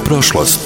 prošlost.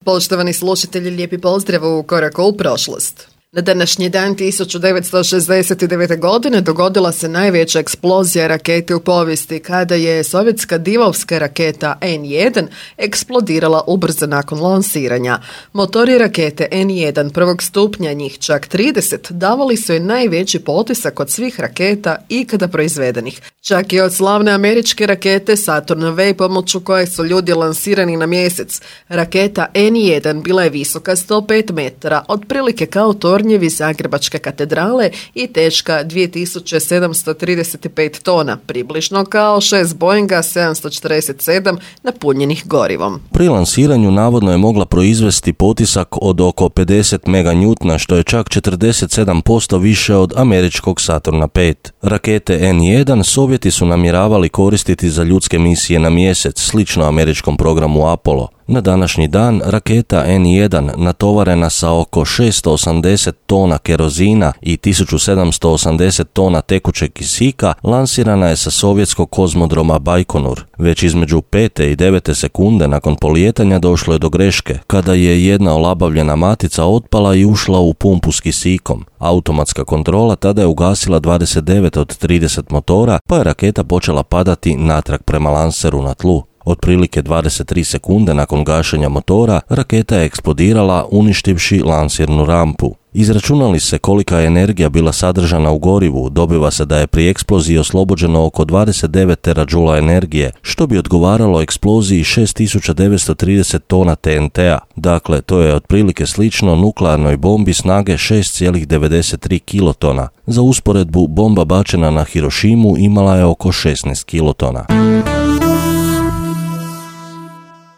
Poštovani slušatelji, lijepi pozdrav u koraku u prošlost. Na današnji dan 1969. godine dogodila se najveća eksplozija rakete u povijesti kada je sovjetska divovska raketa N-1 eksplodirala ubrzo nakon lansiranja. Motori rakete N-1 prvog stupnja, njih čak 30, davali su je najveći potisak od svih raketa ikada proizvedenih. Čak i od slavne američke rakete Saturn V pomoću koje su ljudi lansirani na mjesec. Raketa N-1 bila je visoka 105 metara, otprilike kao tornjevi Zagrebačke katedrale i teška 2735 tona, približno kao 6 Boeinga 747 napunjenih gorivom. Pri lansiranju navodno je mogla proizvesti potisak od oko 50 meganewtona, što je čak 47% više od američkog Saturna V. Rakete N-1 Sovjeti su namjeravali koristiti za ljudske misije na mjesec, slično američkom programu Apollo. Na današnji dan raketa N-1 natovarena sa oko 680 tona kerozina i 1780 tona tekućeg kisika lansirana je sa sovjetskog kozmodroma Bajkonur. Već između 5. i 9. sekunde nakon polijetanja došlo je do greške, kada je jedna olabavljena matica otpala i ušla u pumpu s kisikom. Automatska kontrola tada je ugasila 29 od 30 motora, pa je raketa počela padati natrag prema lanseru na tlu. Otprilike 23 sekunde nakon gašenja motora, raketa je eksplodirala uništivši lansirnu rampu. Izračunali se kolika je energija bila sadržana u gorivu, dobiva se da je pri eksploziji oslobođeno oko 29 terađula energije, što bi odgovaralo eksploziji 6930 tona TNT-a. Dakle, to je otprilike slično nuklearnoj bombi snage 6,93 kilotona. Za usporedbu, bomba bačena na Hirošimu imala je oko 16 kilotona.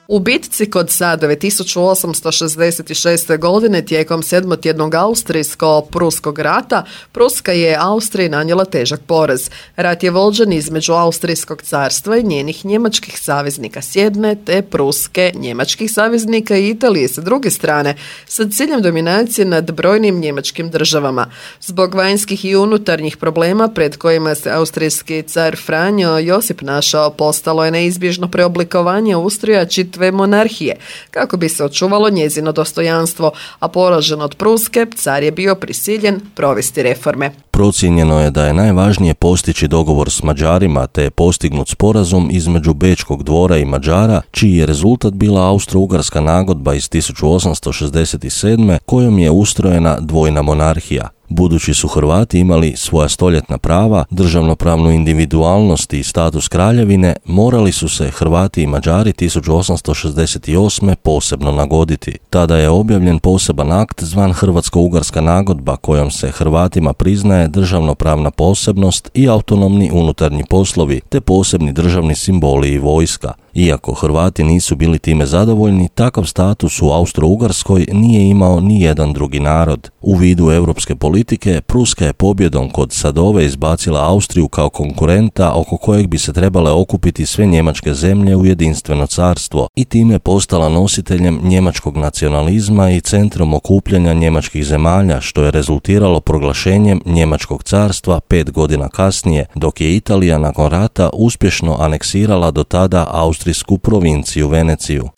U bitci kod Sadove 1866. godine tijekom sedmotjednog austrijsko-pruskog rata Pruska je Austriji nanijela težak poraz. Rat je vođen između Austrijskog carstva i njenih njemačkih saveznika s jedne, te Pruske, njemačkih saveznika i Italije sa druge strane, sa ciljem dominacije nad brojnim njemačkim državama. Zbog vanjskih i unutarnjih problema pred kojima se austrijski car Franjo Josip našao, postalo je neizbježno preoblikovanje ustroja čitave monarhije, kako bi se očuvalo njezino dostojanstvo, a poražen od Pruske, car je bio prisiljen provesti reforme. Procijenjeno je da je najvažnije postići dogovor s Mađarima, te je postignut sporazum između Bečkog dvora i Mađara, čiji je rezultat bila Austro-Ugarska nagodba iz 1867. kojom je ustrojena dvojna monarhija. Budući su Hrvati imali svoja stoljetna prava, državnopravnu individualnost i status kraljevine, morali su se Hrvati i Mađari 1868. posebno nagoditi. Tada je objavljen poseban akt zvan Hrvatsko-Ugarska nagodba, kojom se Hrvatima priznaje državnopravna posebnost i autonomni unutarnji poslovi, te posebni državni simboli i vojska. Iako Hrvati nisu bili time zadovoljni, takav status u Austro-Ugarskoj nije imao ni jedan drugi narod. U vidu europske politike, Pruska je pobjedom kod Sadove izbacila Austriju kao konkurenta oko kojeg bi se trebale okupiti sve njemačke zemlje u jedinstveno carstvo i time postala nositeljem njemačkog nacionalizma i centrom okupljanja njemačkih zemalja, što je rezultiralo proglašenjem njemačkog carstva 5 godina kasnije, dok je Italija nakon rata uspješno aneksirala do tada austrijsku provinciju Veneciju.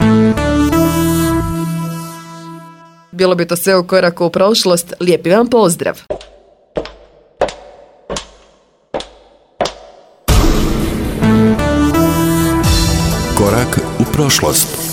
Bilo bi to sve u koraku u prošlost. Lijepi vam pozdrav! Korak u prošlost.